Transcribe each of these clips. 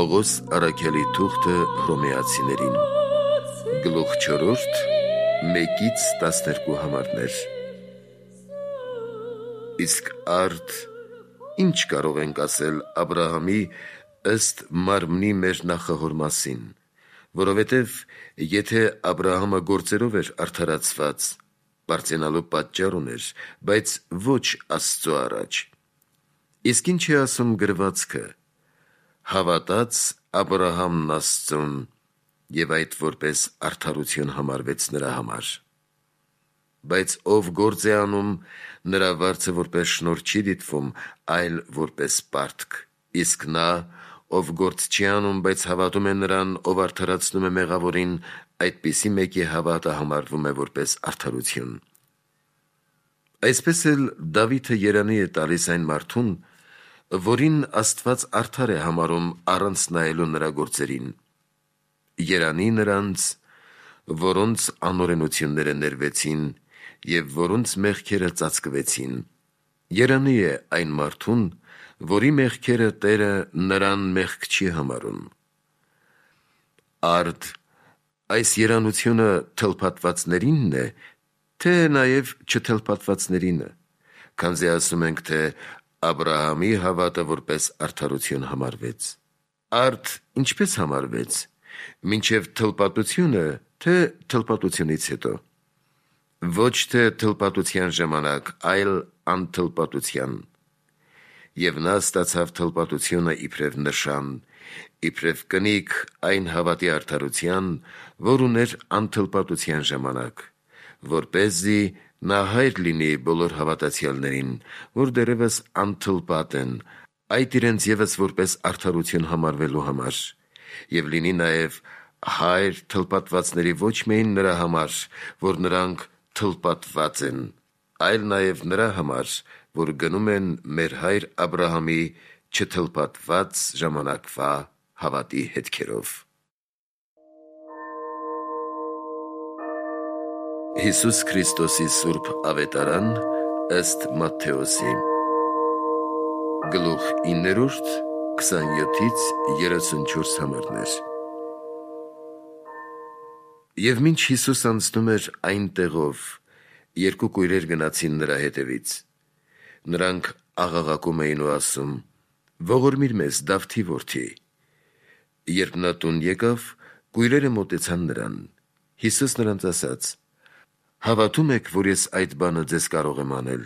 Պողոս առաքյալի թուղթը հռոմեացիներին, գլուխ 4, 1-12 համարներ։ Իսկ արդ ինչ կարող ենք ասել Աբրահամի ըստ մարմնի մեր նախահոր մասին, որովհետև եթե Աբրահամը գործերով էր արդարացված, պարծենալու պատճառ ուներ, բայց ոչ Աստծո առաջ։ Իսկ ինչ է ասում գրվածքը. հավատաց Աբրահամն Աստծուն, և այդ որպես արդարություն համարվեց նրա համար։ Բայց ով գործ է անում, նրա վարձը որպես շնորհ չի դիտվում, այլ որպես պարտք, իսկ նա, ով գործ չի անում, բայց հավատում է նրան, ով արդարացնում է մեղավորին, այդպիսի մեկի հավատը համարվում է որպես արդարություն։ Այսպես էլ Դավիթը երանի է տալիս այն մարդուն, որին Աստված արդար է համարում առանց նայելու նրա գործերին։ Երանի նրանց, որոնց անօրենությունները ներվեցին և որոնց մեղքերը ծածկվեցին։ Երանի է այն մարդուն, որի մեղքերը Տերը նրան մեղք չի համարում։ Արդ այս երանությունը թլփատվածներինն է, թե նաև չթլփատվածներինը, քանզի ասում ենք, թե Աբրահամի հավատը որպես արդարություն համարվեց։ Արդ ինչպես համարվեց, մինչև թլպատությունը, թե թլպատությունից հետո։ Ոչ թե թլպատության ժամանակ, այլ անթլպատության։ Եվ նա ստացավ թլպատությունը իբրև նշան, իբրև կնիկ այն հավատի արդարության, որ ուներ անթլպատության ժամանակ, որպեսզի նա հայր լինի բոլոր հավատացյալներին, որ դեռևս անթլպատ են, այդ իրենց ևս որպես արդարություն համարվելու համար, և լինի նաև հայր թլպատվածների ոչ միայն նրա համար, որ նրանք թլպատված են, այլ նաև նրա համար, որ գնում են մեր հայր Աբրահամի չթլպատված ժամանակվա հավատի հետքերով։ Հիսուս Քրիստոսի Սուրբ Ավետարան ըստ Մատթեոսի, գլուխ 9, 27-34 համարներ։ Եվ մինչ Հիսուս անցնում էր այն տեղով, երկու կույրեր գնացին նրա հետևից։ Նրանք աղաղակում էին ու ասում. «Ողորմիր մեզ, Դավթի որդի»։ Երբ նա տուն եկավ, կույրերը մոտեցան նրան։ Հիսուս նրանց ասաց. «Հավատում եք, որ ես այդ բանը ձեզ կարող եմ անել»։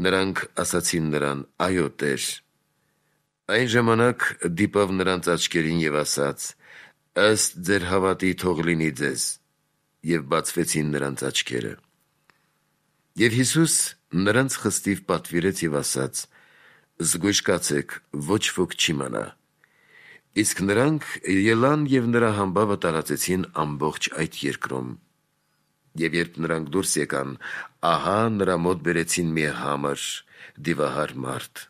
Նրանք ասացին նրան. «Այո, Տեր»։ Այն ժամանակ դիպավ նրանց աչքերին և ասաց. «Ըստ ձեր հավատի թող լինի ձեզ»։ Եվ բացվեցին նրանց աչքերը։ Եվ Հիսուս նրանց խստիվ պատվիրեց և ասաց. «Զգույշ կացեք, ոչ ոք չի մնա»։ Իսկ նրանք ելան և նրա համբավը տարածեցին ամբողջ այդ երկրում։ Եվ երբ նրանք դուրս եկան, ահա նրա մոտ բերեցին մի համր, դիվահար մարդ։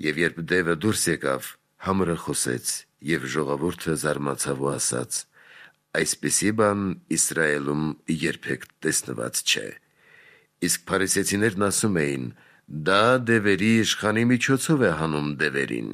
Եվ երբ դևը դուրս եկավ, համրը խոսեց, և ժողովուրդը զարմացավ ու ասաց. «Այսպիսի բան Իսրայելում երբեք տեսնված չէ»։ Իսկ փարիսեցիներն ասում էին. «Դա դևերի իշխանի միջոցով է հանում դևերին»։